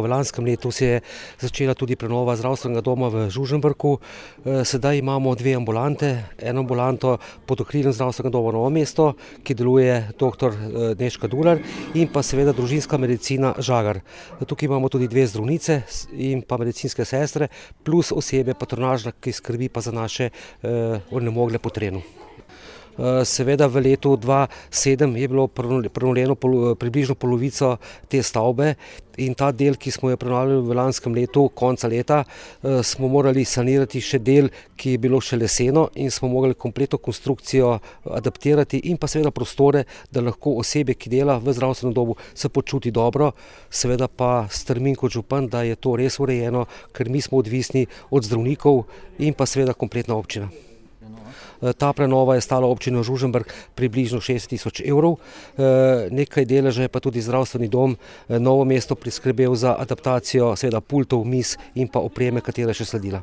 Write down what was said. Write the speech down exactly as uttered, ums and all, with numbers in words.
V lanskem letu se je začela tudi prenova zdravstvenega doma v Žužemberku. Sedaj imamo dve ambulante, eno ambulanto pod okriljem zdravstvenega doma Novo mesto, ki deluje doktor Nežka Dular, in pa seveda družinska medicina Žagar. Tukaj imamo tudi dve zdravnice in pa medicinske sestre, plus osebe patronažna, ki skrbi pa za naše onemogle po terenu. Seveda v letu dva tisoč sedem je bilo prenovljeno približno polovico te stavbe in ta del, ki smo jo prenovili v lanskem letu, konca leta, smo morali sanirati še del, ki je bilo še leseno, in smo morali kompletno konstrukcijo adaptirati in pa seveda prostore, da lahko osebe, ki dela v zdravstvenem domu, se počuti dobro. Seveda pa strmim kot župan, da je to res urejeno, ker mi smo odvisni od zdravnikov in pa seveda kompletna občina. Ta prenova je stala občino Žužemberk približno šest tisoč evrov, nekaj deleža je pa tudi zdravstveni dom Novo mesto priskrbel za adaptacijo seveda pultov, miz in pa opreme, katera je še sledila.